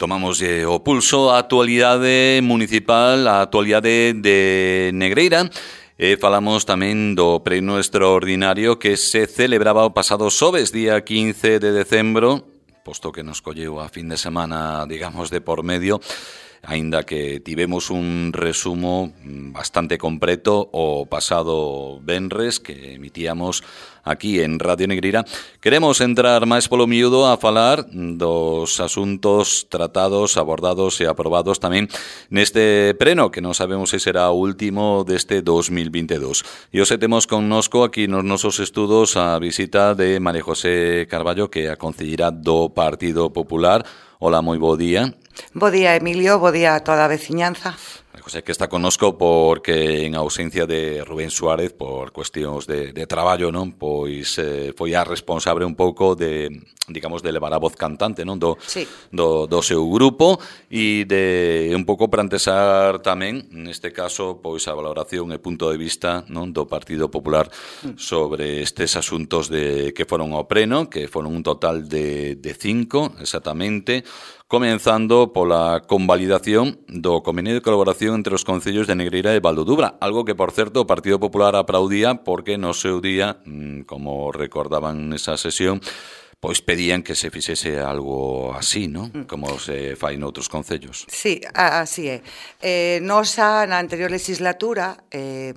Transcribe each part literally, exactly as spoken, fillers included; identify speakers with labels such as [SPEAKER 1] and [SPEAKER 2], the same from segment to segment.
[SPEAKER 1] Tomamos eh, o pulso a actualidade municipal, a actualidade de Negreira. E falamos tamén do pleno extraordinario que se celebraba o pasado xoves, día quince de decembro, posto que nos colleu a fin de semana, digamos, de por medio, aínda que tivemos un resumo bastante completo o pasado venres que emitíamos aquí en Radio Negreira. Queremos entrar máis polo miúdo a falar dos asuntos tratados, abordados e aprobados tamén neste pleno, que non sabemos se será o último deste dos mil veintidós. E hoxe temos connosco aquí nos nosos estudos a visita de María José Carballo, que é a concelleira do Partido Popular. Hola, moi bo día.
[SPEAKER 2] Bo día, Emilio, bo día a toda a veciñanza.
[SPEAKER 1] José, que está connosco porque en ausencia de Rubén Suárez por cuestións de, de traballo, non? Pois eh, foi a responsable un pouco de, digamos, de levar a voz cantante, non? Do,
[SPEAKER 2] sí.
[SPEAKER 1] do, do seu grupo e de un pouco para antesar tamén, neste caso, pois a valoración e punto de vista, non, do Partido Popular sobre estes asuntos de que foron ao pleno, que foron un total de, de cinco, exactamente, comenzando pola convalidación do convenio de colaboración entre os concellos de Negreira e Valdodubra, algo que, por certo, o Partido Popular aplaudía porque no seu día, como recordaban nesa sesión, pois pedían que se fixese algo así, non? Como se fai noutros concellos.
[SPEAKER 2] Sí, así é. Eh, nos xa na anterior legislatura eh,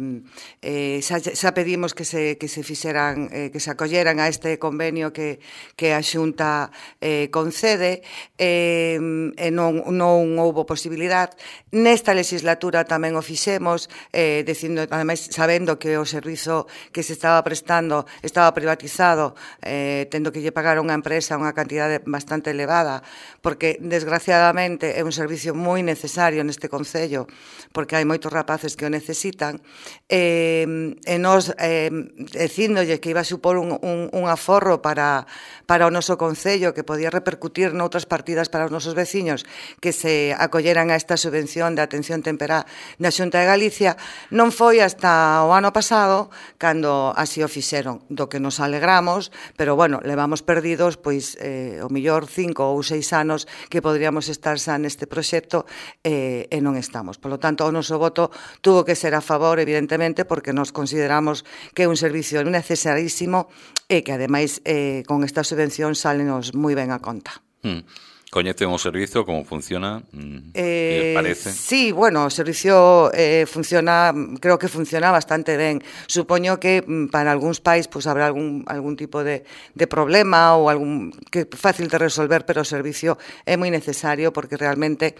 [SPEAKER 2] eh, xa, xa pedimos que se, que se fixeran, eh, que se acolleran a este convenio que, que a Xunta eh, concede eh, e non, non houbo posibilidad. Nesta legislatura tamén o fixemos, eh, dicindo, ademais, sabendo que o servizo que se estaba prestando estaba privatizado, eh, tendo que lle pagar unha empresa unha cantidade bastante elevada, porque desgraciadamente é un servicio moi necesario neste concello, porque hai moitos rapaces que o necesitan, e, e nos eh, dicíndolle que iba a supor un, un, un aforro para, para o noso concello, que podía repercutir noutras partidas para os nosos veciños que se acolleran a esta subvención de atención temperá na Xunta de Galicia, non foi hasta o ano pasado cando así o fixeron, do que nos alegramos, pero bueno, levamos perdidos pois eh, o millor cinco ou seis anos que podríamos estar xa neste proxecto eh, e non estamos. Por lo tanto, o noso voto tuvo que ser a favor, evidentemente, porque nos consideramos que é un servicio necesarísimo e que, ademais, eh, con esta subvención salenos moi ben a conta.
[SPEAKER 1] Mm. Coñecen o servizo, como funciona?
[SPEAKER 2] Eh,
[SPEAKER 1] parece?
[SPEAKER 2] Sí, bueno, o servicio eh, funciona, creo que funciona bastante ben. Supoño que para algúns pais pues, habrá algún, algún tipo de, de problema ou algún que é fácil de resolver, pero o servicio é moi necesario porque realmente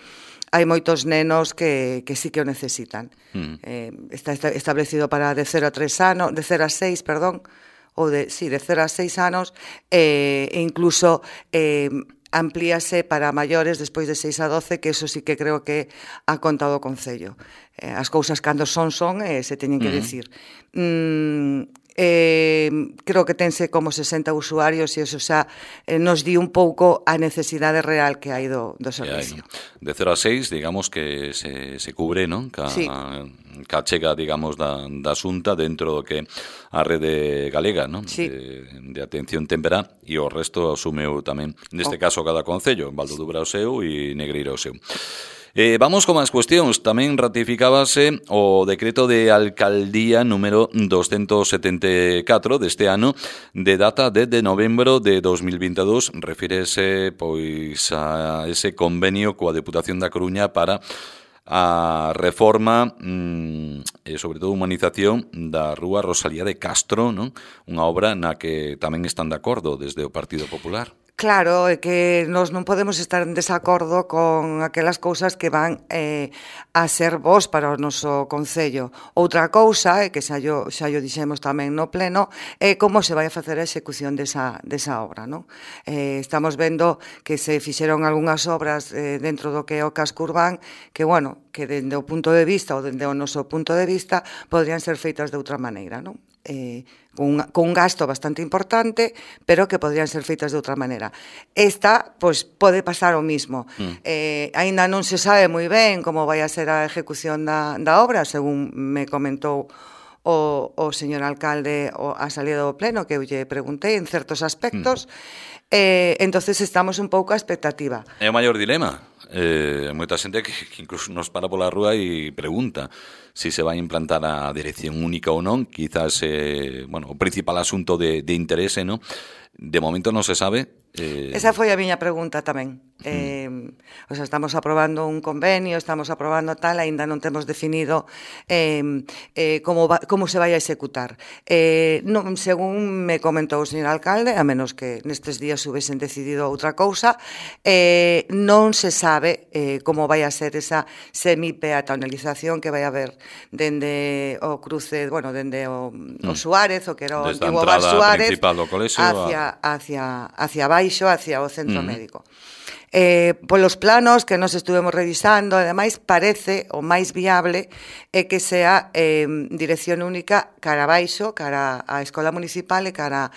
[SPEAKER 2] hai moitos nenos que, que sí que o necesitan. Mm. Eh, está establecido para de cero a tres anos, de cero a seis, perdón, ou de, sí, de cero a seis anos, eh, e incluso eh, amplíase para maiores despois de seis a doce, que eso sí que creo que ha contado o Concello. Eh, as cousas cando son, son, e eh, se teñen que decir. Mm, eh, creo que tense como sesenta usuarios e eso xa eh, nos di un pouco a necesidade real que hai do, do servicio.
[SPEAKER 1] De cero a seis, digamos que se, se cubre, non? Ca,
[SPEAKER 2] sí.
[SPEAKER 1] ca chega, digamos, da, da Xunta dentro do que a rede galega, non?
[SPEAKER 2] Sí.
[SPEAKER 1] De, de atención temperá, e o resto asumeu tamén, neste oh. caso, cada concello, Valdodubra o seu e Negreira o seu. Eh, vamos con máis cuestións. Tamén ratificábase o decreto de alcaldía número doscientos setenta e catro deste ano, de data de, de novembro de dos mil veintidós. Refírese pois a ese convenio coa Deputación da Coruña para a reforma mmm, e sobre todo humanización da Rúa Rosalía de Castro, non? Unha obra na que tamén están de acordo desde o Partido Popular.
[SPEAKER 2] Claro, é que nós non podemos estar en desacordo con aquelas cousas que van eh, a ser bons para o noso Concello. Outra cousa, é que xa yo, xa yo dixemos tamén no pleno, é como se vai a facer a execución desa, desa obra, non? Eh, estamos vendo que se fixeron algunhas obras eh, dentro do que é o casco urbán que, bueno, que dende o punto de vista ou dende o noso punto de vista podrían ser feitas de outra maneira, non? Eh, con, con un gasto bastante importante, pero que podrían ser feitas de outra maneira. Esta, pois, pode pasar o mismo. Mm. Eh, aínda non se sabe moi ben como vai a ser a ejecución da, da obra, según me comentou o, o señor alcalde o, a salida do pleno, que eu lle preguntei en certos aspectos. Mm. Eh, entonces estamos un pouco a expectativa.
[SPEAKER 1] É o maior dilema. eh, moita xente que, que incluso nos para pola rúa e pregunta si se vai implantar a dirección única ou non, quizás eh, bueno, o principal asunto de, de interese, ¿no? De momento non se sabe.
[SPEAKER 2] Eh... Esa foi a miña pregunta tamén. Mm. Eh, o sea, estamos aprobando un convenio, estamos aprobando tal, aínda non temos definido eh, eh, como, va, como se vai a executar. Eh, non, según me comentou o señor alcalde, a menos que nestes días hubiesen decidido outra cousa, eh, non se sabe eh, como vai a ser esa semi-peatonalización que vai haber dende o cruce, bueno, dende o, mm. o Suárez, o que era o antigo Bar Suárez, hacia, hacia, hacia baixo, hacia o centro mm. médico. Eh, polos planos que nos estuvemos revisando, ademais, parece o máis viable é que sea eh, dirección única cara abaixo, cara á escola municipal e cara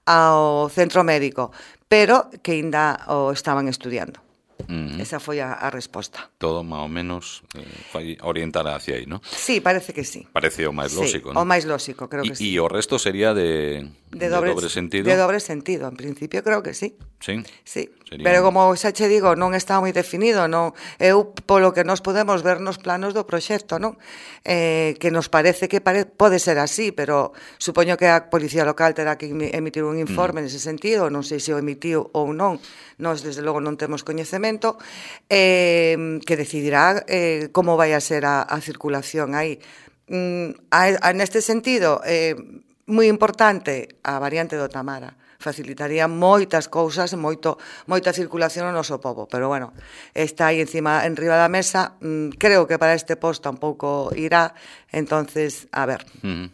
[SPEAKER 2] ao centro médico, pero que ainda o estaban estudiando. Uh-huh. Esa foi a, a resposta.
[SPEAKER 1] Todo máis ou menos eh, vai orientar hacia aí, non?
[SPEAKER 2] Sí, parece que sí.
[SPEAKER 1] Parece o máis
[SPEAKER 2] sí,
[SPEAKER 1] lógico, non?
[SPEAKER 2] O máis lógico, creo
[SPEAKER 1] y,
[SPEAKER 2] que sí.
[SPEAKER 1] E o resto sería de,
[SPEAKER 2] de,
[SPEAKER 1] de
[SPEAKER 2] doble,
[SPEAKER 1] dobre sentido?
[SPEAKER 2] De dobre sentido, en principio creo que sí.
[SPEAKER 1] Sí?
[SPEAKER 2] Sí,
[SPEAKER 1] sería...
[SPEAKER 2] pero como xa che digo, non está moi definido, non, eu polo que nos podemos ver nos planos do proxecto, non? Eh, que nos parece que pare, pode ser así, pero supoño que a Policía Local terá que emitir un informe mm. nese sentido, non sei se o emitiu ou non, nós desde logo non temos coñecemento, eh, que decidirá eh, como vai a ser a, a circulación aí. Mm, a, a, neste sentido, eh, moi importante a variante do Tamara, facilitaría moitas cousas, moito, moita circulación no noso pobo, pero bueno, está aí encima, en riba da mesa, mm, creo que para este posto tampouco irá, entonces, a ver.
[SPEAKER 1] Uh-huh.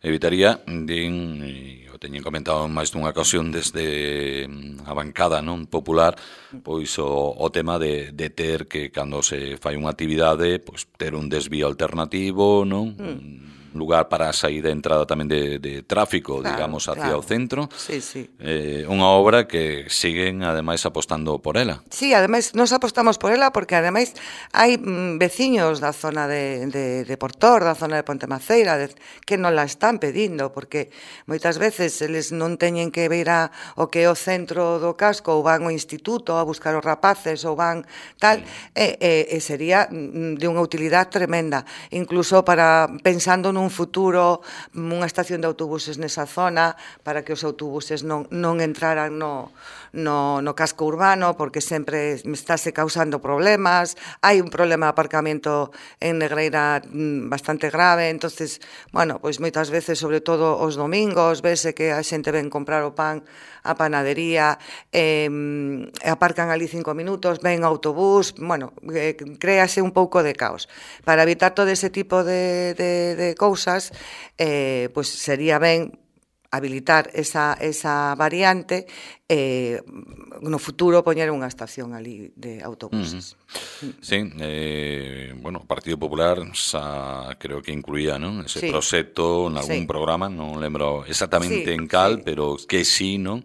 [SPEAKER 1] Evitaría, din, e o teñen comentado máis dunha ocasión desde a bancada non popular, pois o, o tema de, de ter que cando se fai unha actividade, pois ter un desvío alternativo, non? Mm. Lugar para a saída e entrada tamén de, de tráfico, claro, digamos, hacia
[SPEAKER 2] claro.
[SPEAKER 1] o centro.
[SPEAKER 2] Sí, sí.
[SPEAKER 1] Eh, unha obra que siguen, ademais, apostando por ela.
[SPEAKER 2] Sí, ademais, nos apostamos por ela porque, ademais, hai mm, veciños da zona de, de, de Portor, da zona de Ponte Maceira, de, que non la están pedindo, porque moitas veces eles non teñen que vir a, o que é o centro do casco, ou van ao instituto a buscar os rapaces, ou van tal, mm. e, e, e sería de unha utilidade tremenda, incluso para pensando nun un futuro, unha estación de autobuses nesa zona para que os autobuses non, non entraran no, no, no casco urbano porque sempre estáse causando problemas, hai un problema de aparcamento en Negreira bastante grave, entonces, bueno, pois moitas veces, sobre todo os domingos, vese que a xente ven comprar o pan a panadería, eh, aparcan ali cinco minutos, ven autobús, bueno, eh, créase un pouco de caos. Para evitar todo ese tipo de, de, de cousas, eh, pues sería ben habilitar esa, esa variante e eh, no futuro poñer unha estación ali de autobuses.
[SPEAKER 1] Uh-huh. Sí, eh, bueno, o Partido Popular xa creo que incluía, non? Ese sí. proxecto en algún sí. programa, non lembro exactamente sí, en cal, sí. pero que sí, non?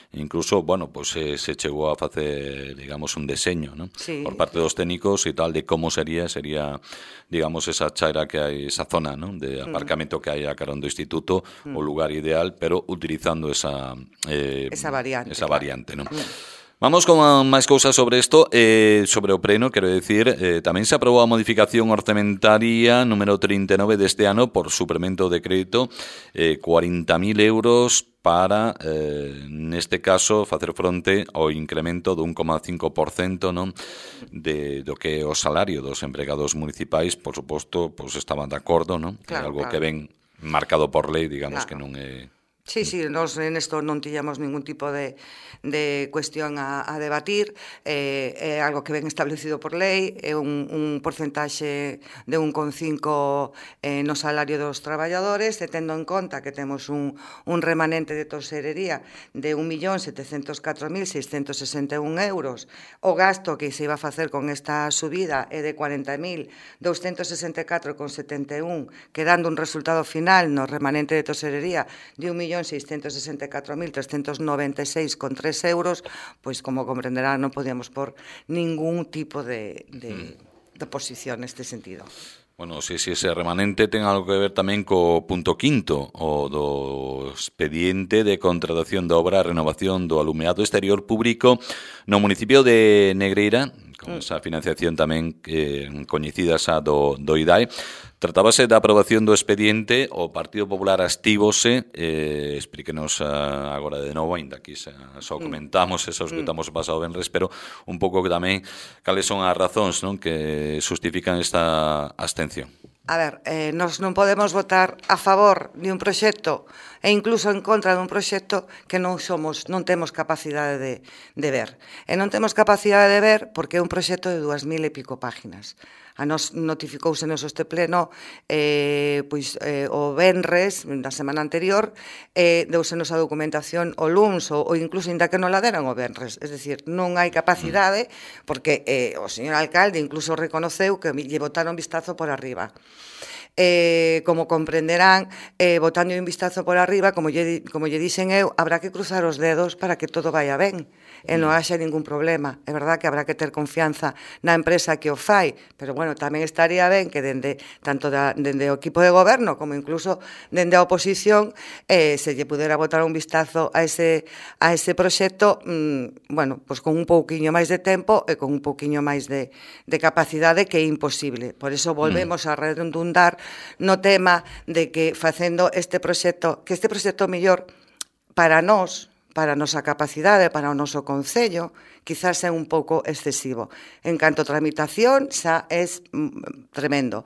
[SPEAKER 1] Incluso, bueno, pues se, se chegou a facer, digamos, un deseño, ¿no? Sí. Por parte dos técnicos e tal, de como sería, sería, digamos, esa chaira que hai, esa zona, ¿no? De aparcamento mm. que hai a carón do instituto, mm. o lugar ideal, pero utilizando esa... Eh,
[SPEAKER 2] esa variante.
[SPEAKER 1] Esa claro. variante, ¿no?
[SPEAKER 2] Mm.
[SPEAKER 1] Vamos con máis cousas sobre isto, eh, sobre o preno, quero decir, eh, tamén se aprobou a modificación orzamentaria número trinta e nove deste ano por suplemento de crédito, eh, cuarenta mil euros para, eh, neste caso, facer fronte ao incremento do un coma cinco por cento, non, de, do que é o salario dos empregados municipais, por suposto, pois estaban de acordo, non?
[SPEAKER 2] Claro,
[SPEAKER 1] é algo
[SPEAKER 2] claro.
[SPEAKER 1] que ven marcado por lei, digamos, claro. que non é...
[SPEAKER 2] Sí, sí, nos en isto non tiñamos ningún tipo de, de cuestión a, a debatir, eh, é algo que ven establecido por lei, é un, un porcentaxe de un coma cinco eh, no salario dos traballadores, e tendo en conta que temos un, un remanente de toserería de un millón setecentos catro mil seiscentos sesenta e un euros, o gasto que se iba a facer con esta subida é de cuarenta mil douscentos sesenta e catro coma setenta e un, quedando un resultado final no remanente de toserería de un millón seiscentos sesenta e catro mil trescentos noventa e seis coma tres euros, pois como comprenderán non podíamos por ningún tipo de, de, de posición neste sentido.
[SPEAKER 1] Bueno, se si, si ese remanente ten algo que ver tamén co punto quinto, o do expediente de contratación de obra e renovación do alumeado exterior público no municipio de Negreira, con esa financiación tamén eh, coñecida xa do, do I D A E. Tratábase da aprobación do expediente, o Partido Popular activose, eh, explíquenos uh, agora de novo, ainda aquí xa, xa comentamos, e xa escutamos o pasado venres, pero un pouco tamén cales son as razóns, non, que justifican esta abstención.
[SPEAKER 2] A ver, eh, nos non podemos votar a favor de un proxecto e incluso en contra dun proxecto que non somos, non temos capacidade de, de ver. E non temos capacidade de ver porque é un proxecto de dúas mil e pico páginas. A nos notificouse nos este pleno eh, pois, eh, o venres da semana anterior, eh, deusenos a documentación o luns ou, ou incluso ainda que non la deran o venres. Es decir, non hai capacidade porque eh, o señor alcalde incluso reconoceu que lle botaron vistazo por arriba. Eh, como comprenderán, eh, botando un vistazo por arriba, como lle, como lle dixen eu, habrá que cruzar os dedos para que todo vaya ben e non haxa ningún problema. É verdad que habrá que ter confianza na empresa que o fai, pero bueno, tamén estaría ben que dende tanto da, dende o equipo de goberno como incluso dende a oposición eh, se lle pudera botar un vistazo a ese, a ese proxecto mmm, bueno, pues con un pouquiño máis de tempo e con un pouquiño máis de, de capacidade, que é imposible. Por eso volvemos mm. a redundar no tema de que facendo este proxecto, que este proxecto mellor para nós, para a nosa capacidade, para o noso concello, quizás é un pouco excesivo. En canto a tramitación, xa é tremendo.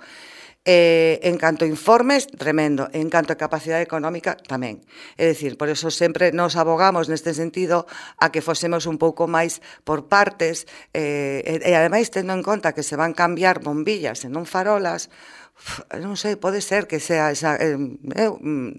[SPEAKER 2] Eh, en canto a informes, tremendo. En canto a capacidade económica, tamén. É dicir, por eso sempre nos abogamos neste sentido a que fosemos un pouco máis por partes eh, e, e ademais tendo en conta que se van cambiar bombillas e non farolas, non sei, pode ser que sea esa, eh,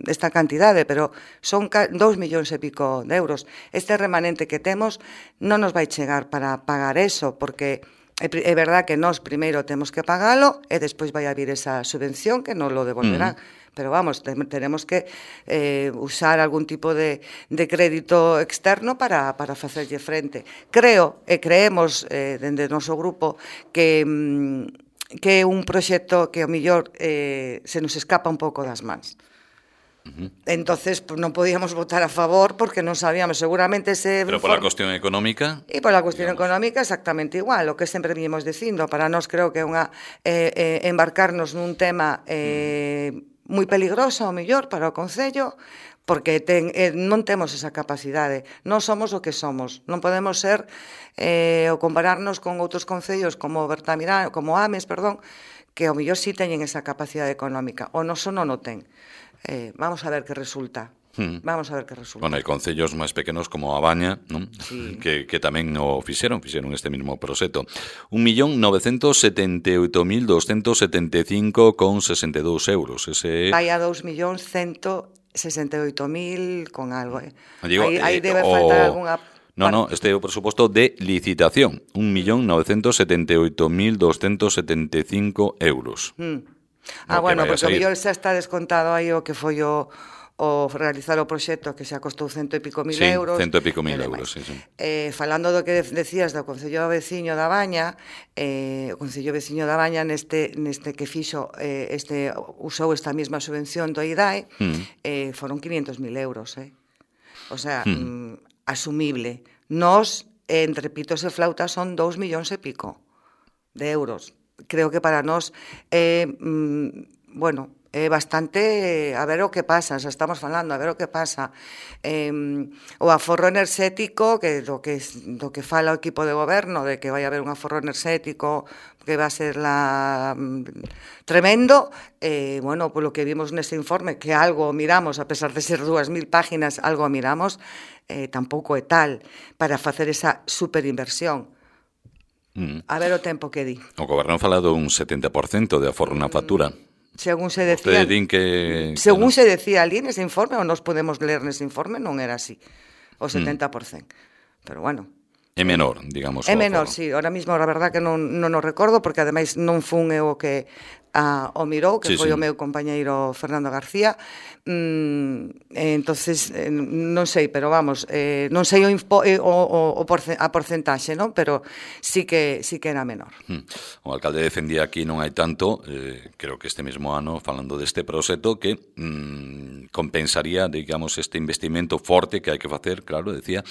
[SPEAKER 2] esta cantidade, pero son dous millóns e pico de euros. Este remanente que temos non nos vai chegar para pagar eso, porque é verdad que nós primeiro temos que pagalo e despois vai a vir esa subvención que nos lo devolverán. Mm. Pero vamos, tenemos que eh, usar algún tipo de, de crédito externo para, para facerlle frente. Creo e creemos eh, dende o noso grupo que, que é un proxecto que ao mellor eh, se nos escapa un pouco das mans. Uh-huh. Entonces pues, non podíamos votar a favor porque non sabíamos, seguramente ese...
[SPEAKER 1] Pero pola cuestión económica...
[SPEAKER 2] E pola cuestión digamos. económica exactamente igual, o que sempre vimos dicindo, para nós creo que é unha eh, eh, embarcarnos nun tema eh, uh-huh. moi peligroso, ao mellor, para o Concello, porque ten, eh, non temos esa capacidade, non somos o que somos, non podemos ser eh, ou compararnos con outros concellos como Bertamirán, como Ames, perdón, que ao mellor sí teñen esa capacidade económica, o noso non o ten. Eh, vamos a ver que resulta. Hmm. Vamos a ver que resulta.
[SPEAKER 1] Bueno, hai concellos máis pequenos como a Baña, non? Sí. que, que tamén o fixeron, fixeron este mismo proxecto. un millón novecentos setenta e oito mil doscentos setenta e cinco con sesenta e dous euros. Ese...
[SPEAKER 2] Vai a dous millóns cento sesenta e oito mil con algo. Eh.
[SPEAKER 1] Digo,
[SPEAKER 2] aí, aí
[SPEAKER 1] eh,
[SPEAKER 2] debe
[SPEAKER 1] o...
[SPEAKER 2] faltar algunha...
[SPEAKER 1] No, no, este é o presuposto de licitación. un millón novecentos setenta e oito mil doscentos setenta e cinco euros.
[SPEAKER 2] Hmm. Ah, bueno, porque o mellor xa está descontado aí o que foi o, o realizar o proxecto, que xa costou cento e pico mil
[SPEAKER 1] sí,
[SPEAKER 2] euros.
[SPEAKER 1] cento e pico mil euros, sí, sí.
[SPEAKER 2] Eh, falando do que decías do Concello Veciño da Baña, eh, o Concello Veciño da Baña neste, neste que fixo, eh, este, usou esta mesma subvención do I D A E, mm. eh, foron quinientos mil euros, eh? O sea, mm. mm, asumible. Nos, entre pitos e flautas, son dous millóns e pico de euros. Creo que para nós é, eh, mm, bueno, é bastante, a ver o que pasa, xa estamos falando, a ver o que pasa. Eh, o aforro enerxético, que do que do que fala o equipo de goberno, de que vai haber un aforro enerxético que va a ser la mm, tremendo, eh, bueno, polo que vimos neste informe, que algo miramos, a pesar de ser dúas mil páginas, algo miramos, eh, tampouco é tal para facer esa superinversión. Mm. A ver o tempo que di.
[SPEAKER 1] O goberno fala dun setenta por cento de aforro na factura.
[SPEAKER 2] Según se decía,
[SPEAKER 1] que,
[SPEAKER 2] según
[SPEAKER 1] que no.
[SPEAKER 2] se decía ali nese informe, ou nos podemos ler nese informe, non era así, o setenta por cento. Mm. Pero bueno.
[SPEAKER 1] É menor, digamos.
[SPEAKER 2] É menor, sí. Ahora mismo, a verdad que non, non o recordo, porque ademais non fun eu o que a, o mirou, que sí, foi sí. o meu compañeiro Fernando García. Mm, entonces, eh, non sei, pero vamos, eh, non sei o, impo, eh, o, o, o porce, a porcentaxe, non? Pero sí que sí que era menor.
[SPEAKER 1] Mm. O alcalde defendía aquí non hai tanto, eh, creo que este mesmo ano, falando deste proxecto, que mm, compensaría, digamos, este investimento forte que hai que facer, claro, decía,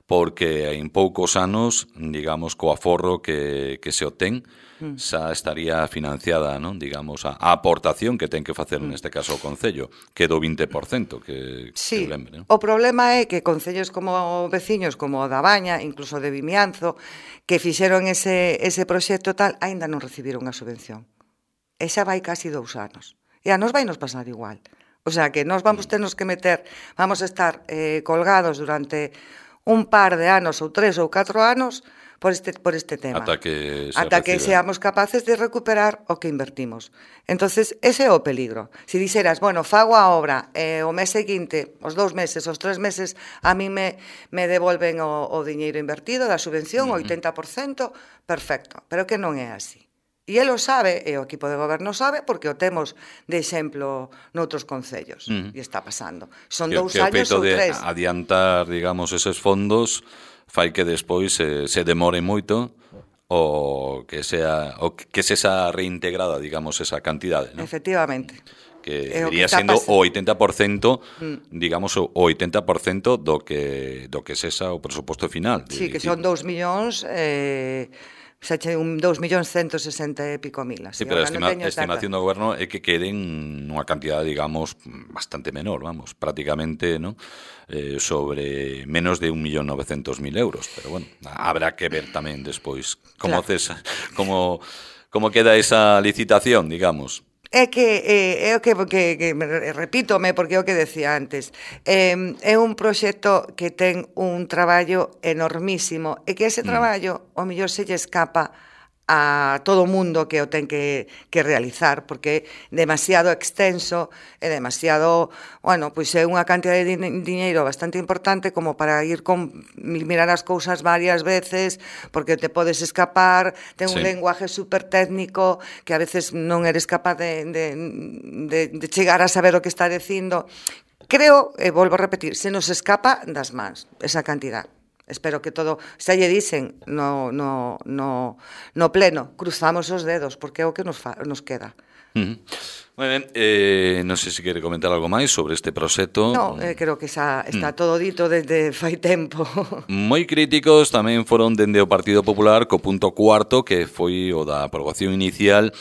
[SPEAKER 1] porque en poucos anos, digamos, co aforro que, que se obtén, mm. xa estaría financiada, non? Digamos, a, a aportación que ten que facer mm. neste caso o Concello, que do vinte por cento, que,
[SPEAKER 2] sí,
[SPEAKER 1] que lembre, non?
[SPEAKER 2] O problema é que concellos como veciños, como o da Baña, incluso de Vimianzo, que fixeron ese, ese proxecto tal, aínda non recibiron a subvención. E xa vai casi dous anos. E a nos vai nos pasar igual. O sea, que nos vamos ternos que meter, vamos a estar eh, colgados durante un par de anos ou tres ou catro anos por este, por este tema.
[SPEAKER 1] Ata que, se
[SPEAKER 2] Ata que
[SPEAKER 1] recibe.
[SPEAKER 2] seamos capaces de recuperar o que invertimos. Entonces, ese é o peligro. Si dixeras, bueno, fago a obra, eh, o mes seguinte, os dous meses, os tres meses, a mí me, me devolven o, o diñeiro invertido da subvención, o oitenta por cento, perfecto. Pero que non é así. E el o sabe, e o equipo de goberno sabe, porque o temos de exemplo noutros concellos. Uh -huh. E está pasando. Son
[SPEAKER 1] que,
[SPEAKER 2] dous
[SPEAKER 1] que
[SPEAKER 2] años ou tres.
[SPEAKER 1] De adiantar, digamos, eses fondos fai que despois se, se demore moito o que sea o que se xa reintegrada, digamos, esa cantidade, ¿no?
[SPEAKER 2] Efectivamente.
[SPEAKER 1] Que iría sendo o oitenta por cento, mm. digamos, o oitenta por cento do que do que sexa o presuposto final.
[SPEAKER 2] Sí, que son dous millóns... Eh... xa che un dous millóns ciento sesenta e pico mil.
[SPEAKER 1] Así, sí, pero a estima, estimación do goberno é que queden nunha cantidade, digamos, bastante menor, vamos, prácticamente, ¿no? Eh, sobre menos de un millón novecentos mil euros, pero bueno, habrá que ver tamén despois como, claro. cesa, como, como queda esa licitación, digamos.
[SPEAKER 2] É que, é, é o que, que, que repítome, porque é o que decía antes, é, é un proxecto que ten un traballo enormísimo e que ese traballo, o mellor se lle escapa a todo o mundo que o ten que, que realizar, porque é demasiado extenso, é demasiado, bueno, pois é unha cantidad de diñeiro bastante importante como para ir con mirar as cousas varias veces, porque te podes escapar, ten un sí. lenguaje super técnico que a veces non eres capaz de, de, de, de chegar a saber o que está dicindo. Creo, e volvo a repetir, se nos escapa das mans esa cantidad. Espero que todo, xa lle dicen no, no, no, no pleno, cruzamos os dedos, porque é o que nos, fa, nos queda.
[SPEAKER 1] Uh -huh. Moi ben, eh, non sei se quere comentar algo máis sobre este proxecto.
[SPEAKER 2] No, eh, creo que xa está mm. todo dito desde fai tempo.
[SPEAKER 1] Moi críticos tamén foron dende o Partido Popular co punto cuarto, que foi o da aprobación inicial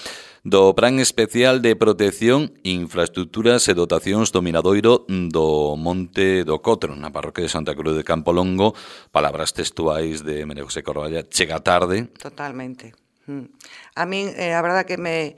[SPEAKER 1] do Plan Especial de Protección, Infraestructuras e Dotacións do Miradoiro do Monte do Cotro, na parroquia de Santa Cruz de Campolongo. Palabras textuais de María José Corvalla, chega tarde.
[SPEAKER 2] Totalmente. A min, eh, a verdade que me...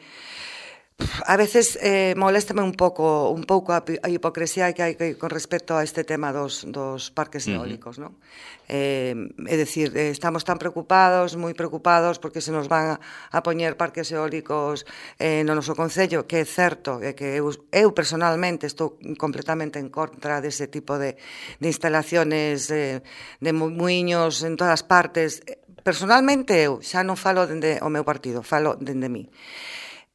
[SPEAKER 2] A veces eh, moléstame un pouco un pouco a, a hipocresía que hai que, con respecto a este tema dos, dos parques eólicos, uh -huh. ¿no? Eh, é dicir, eh, estamos tan preocupados, moi preocupados, porque se nos van a, a poñer parques eólicos eh, no noso concello, que é certo, é que eu, eu personalmente estou completamente en contra dese tipo de, de instalaciones eh, de muiños en todas partes. Personalmente eu, xa non falo dende o meu partido, falo dende mí.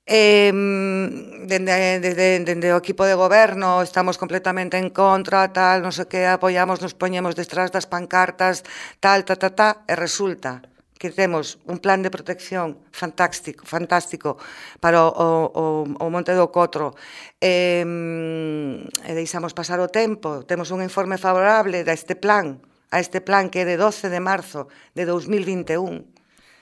[SPEAKER 2] Eh, dende, dende, dende o equipo de goberno estamos completamente en contra, tal, non sei que, apoiamos, nos poñemos detrás das pancartas, tal, ta, ta, ta, e resulta que temos un plan de protección fantástico, fantástico para o, o, o Monte do Cotro, eh, e deixamos pasar o tempo, temos un informe favorable a este plan, a este plan que é de doce de marzo de dos mil vinte e un,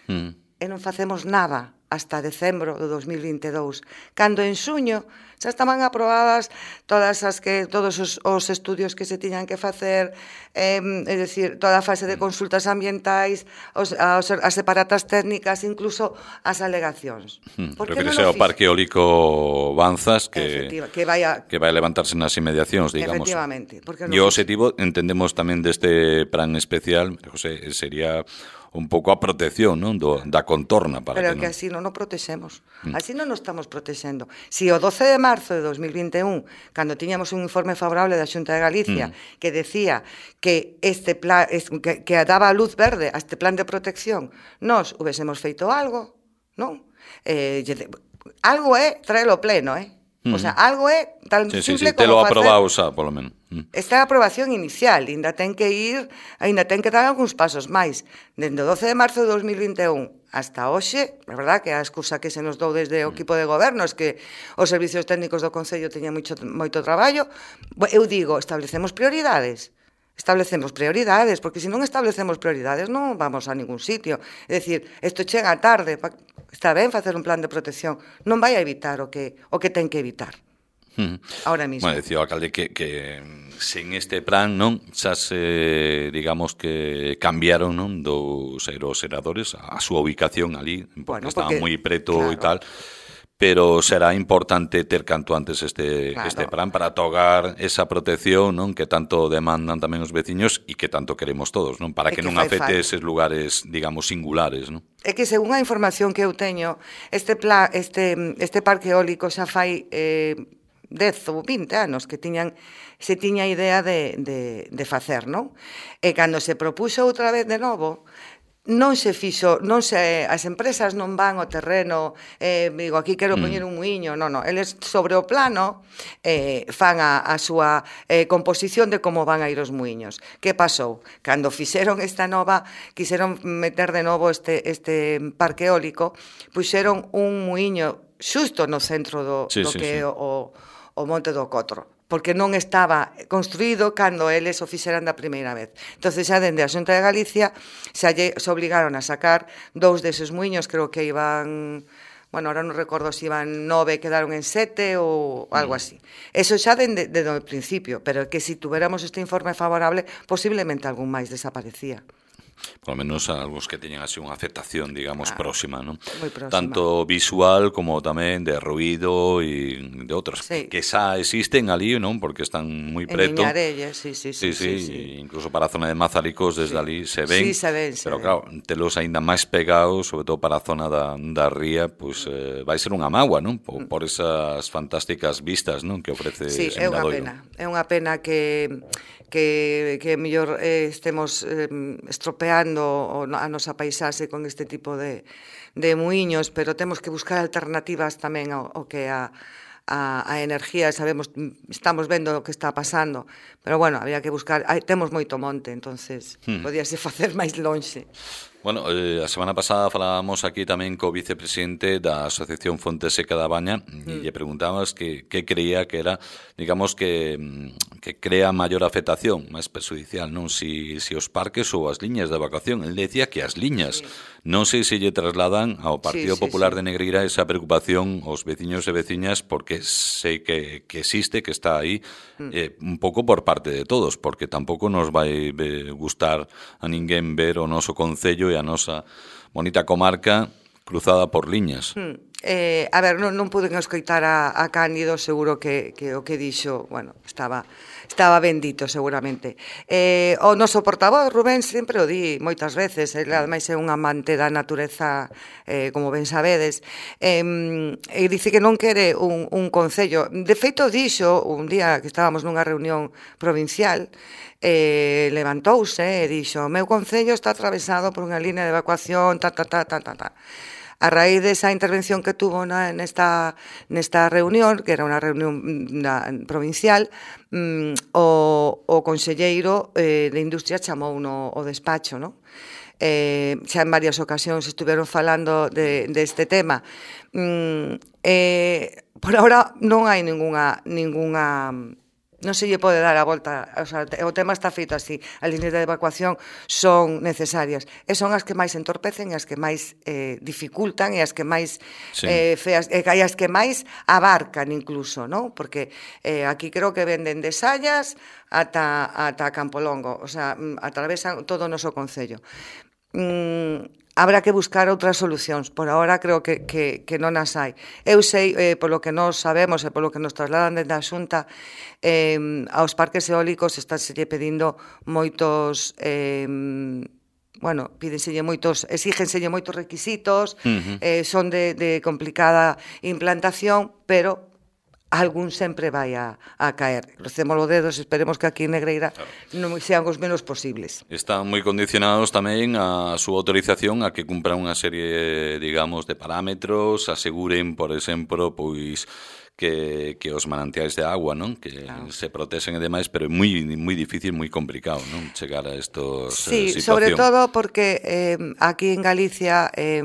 [SPEAKER 2] mm. e non facemos nada hasta decembro do dos mil vinte e dous, cando en xuño xa estaban aprobadas todas as que todos os, os estudios que se tiñan que facer, eh, é dicir, toda a fase de consultas ambientais, os, as, as separatas técnicas, incluso as alegacións.
[SPEAKER 1] Hmm, Por que non o parque eólico Banzas que,
[SPEAKER 2] que, vai a...
[SPEAKER 1] que vai a levantarse nas inmediacións, digamos.
[SPEAKER 2] Efectivamente.
[SPEAKER 1] E o objetivo, entendemos tamén deste plan especial, José, sería un pouco a protección, non, do, da contorna para
[SPEAKER 2] pero
[SPEAKER 1] que,
[SPEAKER 2] que
[SPEAKER 1] non...
[SPEAKER 2] así non o protexemos. Mm. Así non o estamos protexendo. Si o doce de marzo de dos mil vinte e un, cando tiñamos un informe favorable da Xunta de Galicia mm. que decía que este plan que, que daba a luz verde a este plan de protección, nós hubésemos feito algo, non? Eh, algo é traelo pleno, eh? O sea, algo é tan
[SPEAKER 1] sí,
[SPEAKER 2] simple
[SPEAKER 1] sí, sí,
[SPEAKER 2] como
[SPEAKER 1] te lo
[SPEAKER 2] facer...
[SPEAKER 1] aprobado xa, polo menos.
[SPEAKER 2] Esta é a aprobación inicial, ainda ten que ir, ainda ten que dar algúns pasos máis. Dende o doce de marzo de dos mil vinte e un hasta hoxe, é verdad que a excusa que se nos dou desde o equipo de goberno é que os servicios técnicos do Concello teñan moito, moito traballo. Eu digo, establecemos prioridades. establecemos prioridades, porque se non establecemos prioridades non vamos a ningún sitio. É dicir, isto chega tarde, está ben facer un plan de protección, non vai a evitar o que, o que ten que evitar.
[SPEAKER 1] Hmm.
[SPEAKER 2] Ahora mismo.
[SPEAKER 1] Bueno, decía o alcalde que, que sen este plan, non, xa se, digamos que cambiaron, non, dos aeroseradores a súa ubicación ali, porque bueno, estaban moi preto claro. e tal, pero será importante ter canto antes este, claro. este plan para togar esa protección, non, que tanto demandan tamén os veciños e que tanto queremos todos, non, para que, que non afecte falta. Eses lugares, digamos, singulares, non.
[SPEAKER 2] É que según a información que eu teño, este plan, este este parque eólico xa fai eh, dez ou vinte anos que tiñan se tiña idea de, de, de facer, non? E cando se propuxo outra vez de novo, non se fixo, non se, as empresas non van ao terreno, eh, digo, aquí quero poñer un muiño, non, non, eles sobre o plano eh, fan a, a súa eh, composición de como van a ir os muiños. Que pasou? Cando fixeron esta nova, quixeron meter de novo este, este parque eólico, puxeron un muiño xusto no centro do, sí, do sí, que é sí. o, o Monte do Cotro, porque non estaba construído cando eles o fixeran da primeira vez. Entonces xa dende a Xunta de Galicia xa lle, se obligaron a sacar dous deses muiños, creo que iban, bueno, ahora non recordo se iban nove, quedaron en sete ou algo así. Eso xa dende, dende o principio, pero que se si tuveramos este informe favorable, posiblemente algún máis desaparecía.
[SPEAKER 1] Por lo menos algúns que teñan así unha afectación, digamos, claro, próxima, ¿no?
[SPEAKER 2] Moi próxima.
[SPEAKER 1] Tanto visual como tamén de ruido e de outros sí. que xa existen ali, non? Porque están moi preto.
[SPEAKER 2] En Miñarelles, sí, sí, sí.
[SPEAKER 1] Sí, sí, sí, sí. Incluso para a zona de Mazaricos, desde sí. ali se ven.
[SPEAKER 2] Sí, se ven, se
[SPEAKER 1] pero
[SPEAKER 2] ven.
[SPEAKER 1] claro, telos aínda máis pegados, sobre todo para a zona da, da ría, pues eh, vai ser unha mágoa, non? Por, por esas fantásticas vistas, non? Que ofrece
[SPEAKER 2] sí, é unha pena. É unha pena que que, que mellor eh, estemos eh, estropeando a nosa paisaxe con este tipo de, de muiños, pero temos que buscar alternativas tamén ao, ao que a, a, a energía, sabemos, estamos vendo o que está pasando, pero bueno, había que buscar, hai, temos moito monte, entonces hmm. podíase facer máis lonxe.
[SPEAKER 1] Bueno, eh, a semana pasada falábamos aquí tamén co vicepresidente da Asociación Fonte Seca da Baña mm. e lle preguntábamos que, que creía que era, digamos, que, que crea maior afectación, máis perjudicial, non? Si, si os parques ou as liñas de evacuación. El decía que as liñas, sí. non sei se lle trasladan ao Partido sí, sí, Popular sí. de Negreira esa preocupación aos veciños e veciñas, porque sei que, que existe, que está aí, mm. eh, un pouco por parte de todos, porque tampouco nos vai gustar a ninguén ver o noso concello e a nosa bonita comarca cruzada por liñas.
[SPEAKER 2] Hmm. Eh, a ver, non, non pude escoitar a, a Cándido, seguro que, que o que dixo, bueno, estaba estaba bendito seguramente. Eh, o noso portavoz, Rubén, sempre o di moitas veces, ele ademais é un amante da natureza, eh, como ben sabedes, eh, e dice que non quere un, un concello. De feito, dixo un día que estábamos nunha reunión provincial, eh, levantouse e dixo: o meu concello está atravesado por unha línea de evacuación, ta, ta, ta, ta, ta, ta. A raíz desa intervención que tuvo na, nesta, nesta reunión, que era unha reunión na, provincial, mm, o, o conselleiro eh, de Industria chamou no o despacho, non? Eh, xa en varias ocasións estuveron falando de, de este tema. Mm, eh, por ahora non hai ningunha, ningunha non se lle pode dar a volta, o sea, o tema está feito así, as líneas de evacuación son necesarias, e son as que máis entorpecen, e as que máis eh, dificultan, e as que máis sí. eh, feas, e as que máis abarcan incluso, non? Porque eh, aquí creo que venden de Sallas ata, ata Campolongo, o sea, atravesan todo o noso concello. Mm, habrá que buscar outras solucións. Por ahora creo que, que, que non as hai. Eu sei, eh, polo que nós sabemos e polo que nos trasladan desde a Xunta, eh, aos parques eólicos estánselle pedindo moitos... Eh, bueno, pídenselle moitos, exígenselle moitos requisitos, uh-huh. eh, son de, de complicada implantación, pero algún sempre vai a, a caer. Crucemos os dedos, esperemos que aquí en Negreira claro. non sean os menos posibles.
[SPEAKER 1] Están moi condicionados tamén a súa autorización a que cumpran unha serie, digamos, de parámetros, aseguren, por exemplo, pois que, que os manantiais de agua, non? Que claro. se protexen e demais, pero é moi moi difícil, moi complicado, non? Chegar a estos
[SPEAKER 2] sí,
[SPEAKER 1] eh, situación.
[SPEAKER 2] Sobre todo porque eh, aquí en Galicia eh,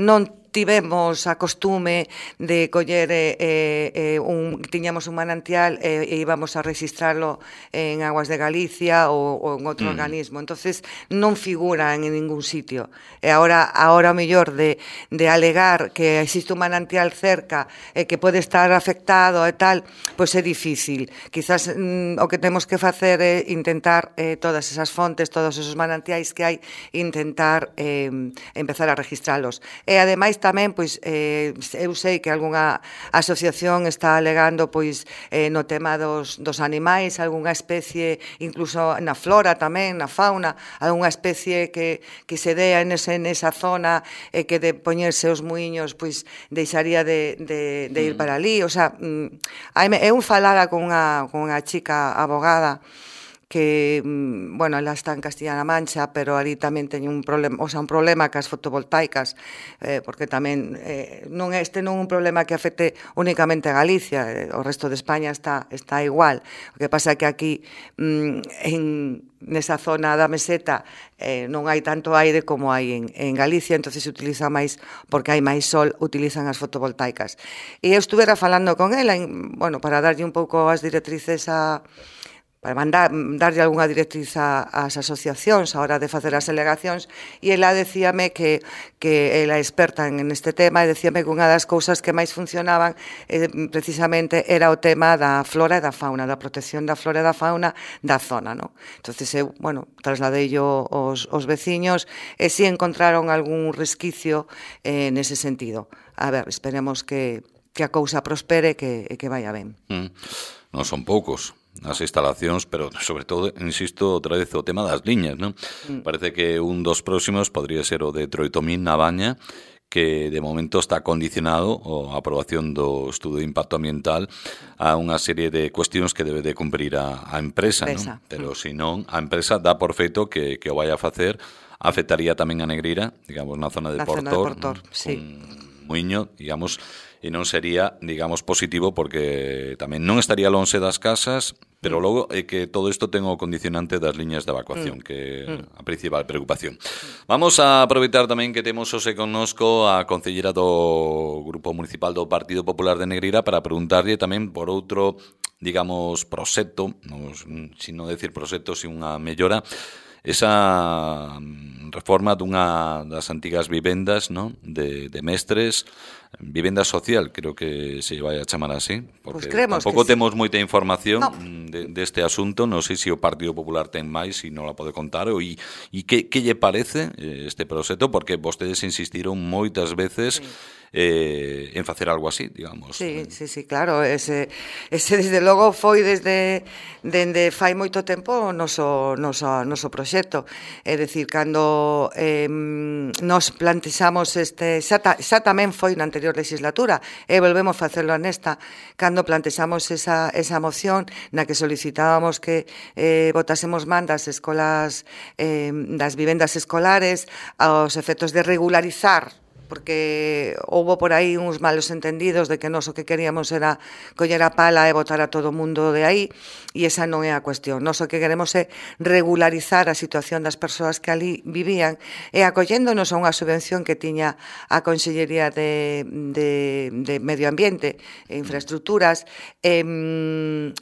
[SPEAKER 2] non tivemos a costume de coller eh, eh, un, tiñamos un manantial eh, e íbamos a registrarlo en Aguas de Galicia ou, ou en outro mm. organismo, entonces non figuran en ningún sitio. E agora, agora o mellor de, de alegar que existe un manantial cerca e que pode estar afectado e tal, pois é difícil. Quizás mm, o que temos que facer é intentar eh, todas esas fontes, todos esos manantiais que hai, intentar eh, empezar a registralos. E ademais tamén, pois, eh, eu sei que algunha asociación está alegando pois eh, no tema dos, dos animais, algunha especie, incluso na flora tamén, na fauna, algunha especie que, que se dea nese, nesa zona e eh, que de poñerse os muiños pois deixaría de, de, de ir para ali. O sea, eu falara con unha, con unha chica abogada que, bueno, ela está en Castilla-La Mancha, pero ali tamén teñen un problema, o sea, un problema cas fotovoltaicas, eh, porque tamén eh, non este non é un problema que afecte únicamente a Galicia, eh, o resto de España está está igual. O que pasa é que aquí mm, en nesa zona da meseta eh, non hai tanto aire como hai en, en Galicia, entonces se utiliza máis, porque hai máis sol, utilizan as fotovoltaicas. E eu estuvera falando con ela, en, bueno, para darlle un pouco as directrices a para mandar, darlle algunha directriz ás asociacións a hora de facer as alegacións, e ela decíame que, que ela é experta en este tema, e decíame que unha das cousas que máis funcionaban eh, precisamente era o tema da flora e da fauna, da protección da flora e da fauna da zona, non? Entonces eu, bueno, trasladei yo os, os veciños e si encontraron algún resquicio eh, nese sentido. A ver, esperemos que, que a cousa prospere e que, que vaya ben.
[SPEAKER 1] Mm. Non son poucos as instalacións, pero sobre todo, insisto, outra vez o tema das liñas, non? Mm. Parece que un dos próximos podría ser o de Troitomín na Baña, que de momento está condicionado a aprobación do estudo de impacto ambiental a unha serie de cuestións que debe de cumprir a, a empresa, non? Pero mm. se non, a empresa dá por feito que, que o vai a facer, afectaría tamén a Negreira, digamos, na zona de
[SPEAKER 2] na
[SPEAKER 1] Portor,
[SPEAKER 2] zona de Portor,
[SPEAKER 1] ¿no?
[SPEAKER 2] Sí.
[SPEAKER 1] Con Muiño, digamos, e non sería, digamos, positivo porque tamén non estaría lonxe das casas, pero logo é que todo isto ten o condicionante das liñas de evacuación, mm. que é a principal preocupación. Vamos a aproveitar tamén que temos hoxe connosco a concellera do Grupo Municipal do Partido Popular de Negreira para preguntarlle tamén por outro, digamos, proxecto, si non decir proxecto, si unha mellora, esa reforma dunha das antigas vivendas, ¿no? de, de mestres, vivenda social, creo que se vai a chamar así, porque pues tampouco temos sí. moita información no. de, deste asunto, non sei se o Partido Popular ten máis, se non la pode contar, e, e que, que lle parece este proxecto, porque vostedes insistiron moitas veces sí. eh, en facer algo así, digamos.
[SPEAKER 2] Sí, sí, sí, claro, ese, ese desde logo foi desde dende fai moito tempo o noso, noso, noso proxecto, é dicir, cando eh, nos plantexamos este, xa, ta, xa tamén foi na anterior legislatura, e volvemos a facelo nesta, cando plantexamos esa, esa moción na que solicitábamos que eh, votásemos man das escolas, eh, das vivendas escolares aos efectos de regularizar, porque houbo por aí uns malos entendidos de que nós o que queríamos era coller a pala e botar a todo o mundo de aí, e esa non é a cuestión. Nós o que queremos é regularizar a situación das persoas que ali vivían e acolléndonos a unha subvención que tiña a Consellería de, de, de Medio Ambiente e Infraestructuras, eh,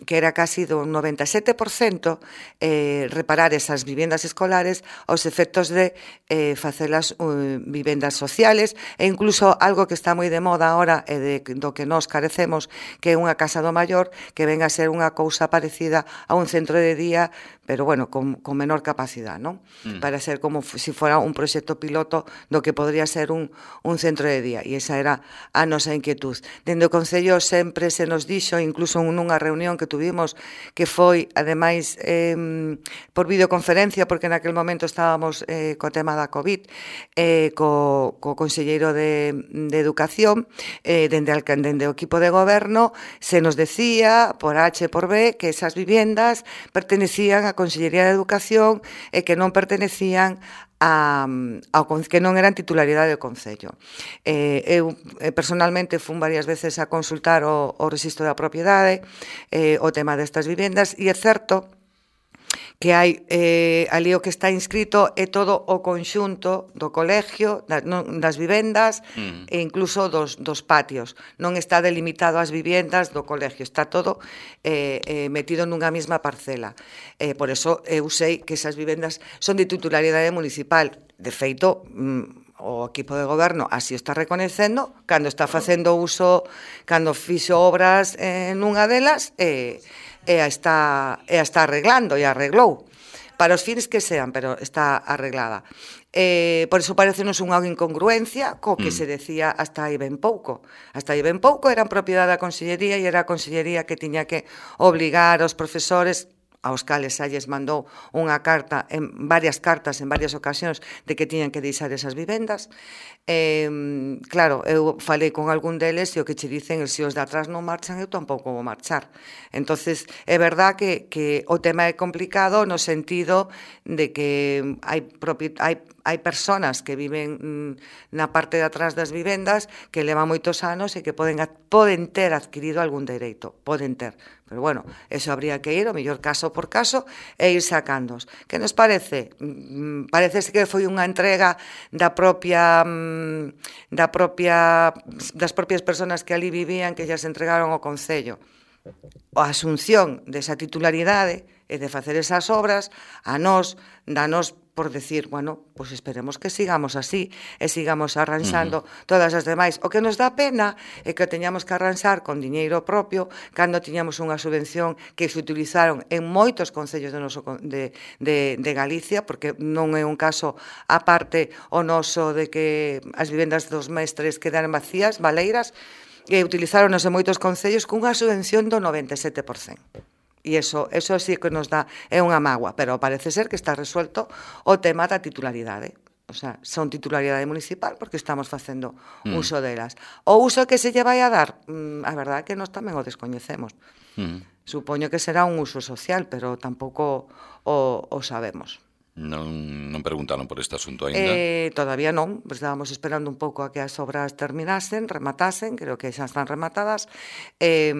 [SPEAKER 2] que era casi do noventa e sete por cento eh, reparar esas vivendas escolares aos efectos de eh, facelas uh, vivendas sociales, e incluso algo que está moi de moda ahora e de, do que nós carecemos, que é unha casa do maior que venga a ser unha cousa parecida a un centro de día, pero bueno, con, con menor capacidade, non? Mm. Para ser como se si fora un proxecto piloto do que podría ser un, un centro de día, e esa era a nosa inquietud. Dende o Concello sempre se nos dixo, incluso nunha reunión que tuvimos, que foi, ademais, eh, por videoconferencia, porque naquel momento estábamos eh, co tema da COVID, eh, co, co Concello De, de Educación, eh, dende, al, dende o equipo de goberno, se nos decía, por H e por B, que esas vivendas pertenecían á Consellería de Educación e que non pertenecían a, ao, que non eran titularidade do Concello. Eh, eu eh, personalmente fun varias veces a consultar o, o registro da propiedade, eh, o tema destas vivendas, e é certo que hai eh, ali o que está inscrito é todo o conxunto do colegio, das, non, das vivendas mm. e incluso dos, dos patios. Non está delimitado as vivendas do colegio, está todo eh, eh, metido nunha mesma parcela. Eh, por eso eu sei que esas vivendas son de titularidade municipal. De feito, mm, o equipo de goberno así está reconecendo cando está facendo uso, cando fixo obras eh, nunha delas, e eh, e a está, e a está arreglando, e arreglou para os fins que sean, pero está arreglada. Eh, por iso parecenos unha incongruencia co que mm. se decía hasta aí ben pouco. Hasta aí ben pouco eran propiedade da Consellería e era a Consellería que tiña que obligar aos profesores, aos cales xa lles mandou unha carta, en varias cartas, en varias ocasións, de que tiñan que deixar esas vivendas. Eh, claro, eu falei con algún deles e o que che dicen, se os de atrás non marchan, eu tampouco vou marchar. Entonces, é verdad que, que o tema é complicado no sentido de que hai, hai, hai personas que viven mm, na parte de atrás das vivendas que levan moitos anos e que poden, poden ter adquirido algún dereito, poden ter. Pero bueno, eso habría que ir, o mellor caso por caso, e ir sacándos. Que nos parece? Mm, parece que foi unha entrega da propia, mm, da propia, das propias personas que ali vivían que xa se entregaron ao Concello. A asunción desa titularidade e de facer esas obras, a nós, danos por decir, bueno, pois pues esperemos que sigamos así e sigamos arranxando uh-huh. todas as demais. O que nos dá pena é que teñamos que arranxar con diñeiro propio cando tiñamos unha subvención que se utilizaron en moitos concellos de, noso, de, de, de Galicia, porque non é un caso aparte o noso de que as vivendas dos mestres quedaran vacías, baleiras, e utilizáronos en moitos concellos cunha subvención do noventa e sete por cento. E iso, iso sí que nos dá, é unha mágoa, pero parece ser que está resuelto o tema da titularidade. O sea, son titularidade municipal porque estamos facendo mm. uso delas. O uso que se lle vai a dar, a verdade é que nós tamén o descoñecemos. Mm. Supoño que será un uso social, pero tampouco o, o sabemos.
[SPEAKER 1] Non, non preguntaron por este asunto ainda?
[SPEAKER 2] Eh, todavía non, estábamos esperando un pouco a que as obras terminasen, rematasen, creo que xa están rematadas. Eh,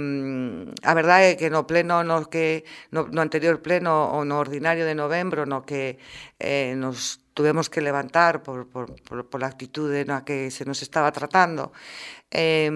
[SPEAKER 2] a verdade é que no pleno, no, que, no, no anterior pleno, ou no ordinario de novembro, no que eh, nos tuvemos que levantar por, por, por, por a actitude na que se nos estaba tratando, eh,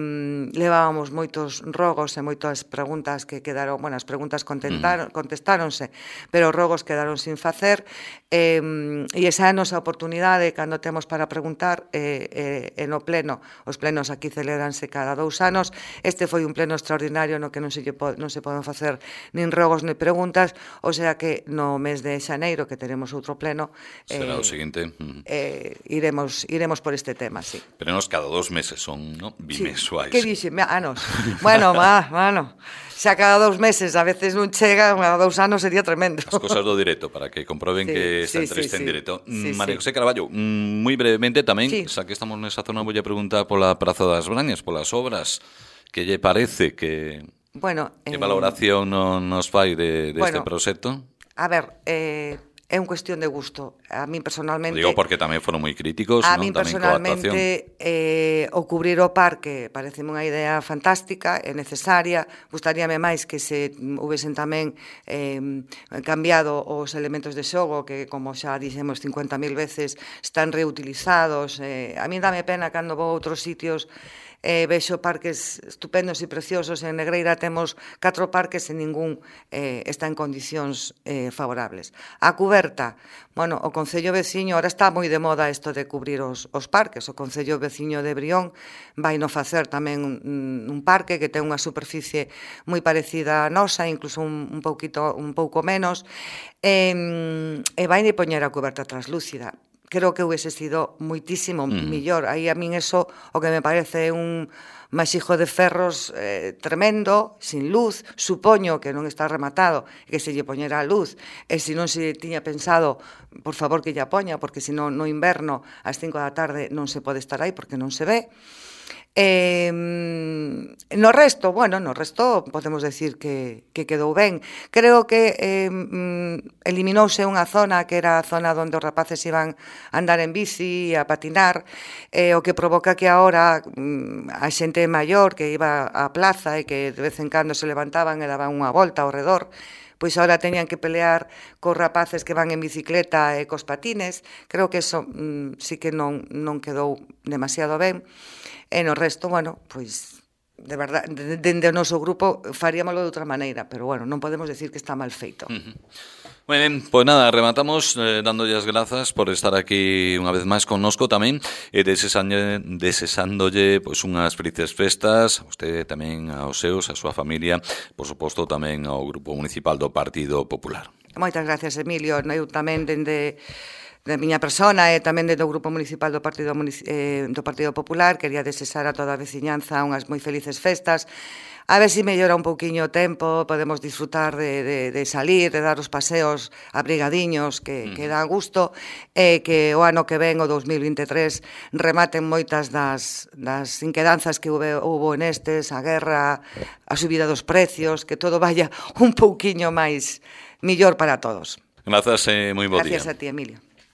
[SPEAKER 2] levábamos moitos rogos e moitas preguntas que quedaron, bueno, as preguntas contestaron, contestáronse, pero os rogos quedaron sin facer, eh, e esa é a nosa oportunidade cando temos para preguntar eh, eh, e no pleno, os plenos aquí celebranse cada dous anos, este foi un pleno extraordinario no que non se, non se poden facer nin rogos nin preguntas, o sea que no mes de xaneiro que teremos outro pleno,
[SPEAKER 1] será eh, o seguinte,
[SPEAKER 2] eh, iremos, iremos por este tema, sí.
[SPEAKER 1] Pero nos cada dos meses son, ¿no? Bimensuais.
[SPEAKER 2] Sí. Que dixe? Anos. Bueno, má, mano. Xa cada dous meses, a veces non chega, a dous anos sería tremendo.
[SPEAKER 1] As cosas do directo, para que comproben sí, que esta
[SPEAKER 2] sí,
[SPEAKER 1] entrevista
[SPEAKER 2] sí,
[SPEAKER 1] en
[SPEAKER 2] sí.
[SPEAKER 1] directo.
[SPEAKER 2] Sí,
[SPEAKER 1] María
[SPEAKER 2] sí.
[SPEAKER 1] José Carballo, moi brevemente tamén,
[SPEAKER 2] sí.
[SPEAKER 1] xa que estamos nesa zona, vou a preguntar pola Praza das Brañas, polas obras, que lle parece que...
[SPEAKER 2] Bueno,
[SPEAKER 1] que
[SPEAKER 2] eh,
[SPEAKER 1] valoración no, nos fai de, de
[SPEAKER 2] bueno,
[SPEAKER 1] este proxecto?
[SPEAKER 2] A ver, eh... é un cuestión de gusto. A mí personalmente...
[SPEAKER 1] Digo porque tamén foron moi críticos,
[SPEAKER 2] a
[SPEAKER 1] non?
[SPEAKER 2] mí
[SPEAKER 1] Tamén
[SPEAKER 2] personalmente eh, o cubrir o parque pareceme unha idea fantástica, é necesaria, gustaríame máis que se houvesen tamén eh, cambiado os elementos de xogo que, como xa dixemos cincuenta mil veces, están reutilizados. Eh, a mí dame pena cando vou a outros sitios eh, vexo parques estupendos e preciosos. En Negreira temos catro parques e ningún eh, está en condicións eh, favorables. A cuberta, bueno, o Concello veciño, ahora está moi de moda isto de cubrir os, os parques, o Concello veciño de Brión vai no facer tamén un, un parque que ten unha superficie moi parecida a nosa, incluso un, un, pouquito, un pouco menos, e, e vai poñer a cuberta translúcida. Creo que hubiese sido moitísimo mm. millor. Aí a min eso o que me parece un masijo de ferros eh, tremendo, sin luz, supoño que non está rematado, que se lle poñera a luz, e se non se tiña pensado, por favor que lla poña, porque se non no inverno ás cinco da tarde non se pode estar aí porque non se ve. Eh, no resto, bueno, no resto podemos decir que, que quedou ben. Creo que eh, eliminouse unha zona que era a zona onde os rapaces iban a andar en bici, a patinar, eh, o que provoca que agora a xente maior que iba á plaza e que de vez en cando se levantaban e daban unha volta ao redor, pois ahora teñan que pelear cos rapaces que van en bicicleta e cos patines. Creo que eso mm, sí que non, non quedou demasiado ben. E no resto, bueno, pois de verdade, dende o noso grupo faríamoslo de outra maneira, pero bueno, non podemos decir que está mal feito.
[SPEAKER 1] Uh-huh. Moi ben, pois nada, rematamos eh, dándolle as grazas por estar aquí unha vez máis connosco tamén e desesándolle, desesándolle pois unhas felices festas a usted tamén, aos seus, a súa familia, por suposto tamén ao Grupo Municipal do Partido Popular.
[SPEAKER 2] Moitas gracias, Emilio. Eu tamén dende da miña persona e tamén do Grupo Municipal do Partido, eh, do Partido Popular quería desexar a toda a veciñanza unhas moi felices festas. A ver se mellora un pouquiño o tempo, podemos disfrutar de, de, de salir, de dar os paseos abrigadiños que, mm. que dá gusto, e que o ano que ven, o dous mil vinte e tres, rematen moitas das, das inquedanzas que houve, houve nestes, a guerra, a subida dos precios, que todo vaya un pouquiño máis millor para todos.
[SPEAKER 1] Grazas e moi bo día.
[SPEAKER 2] Gracias a ti, Emilio.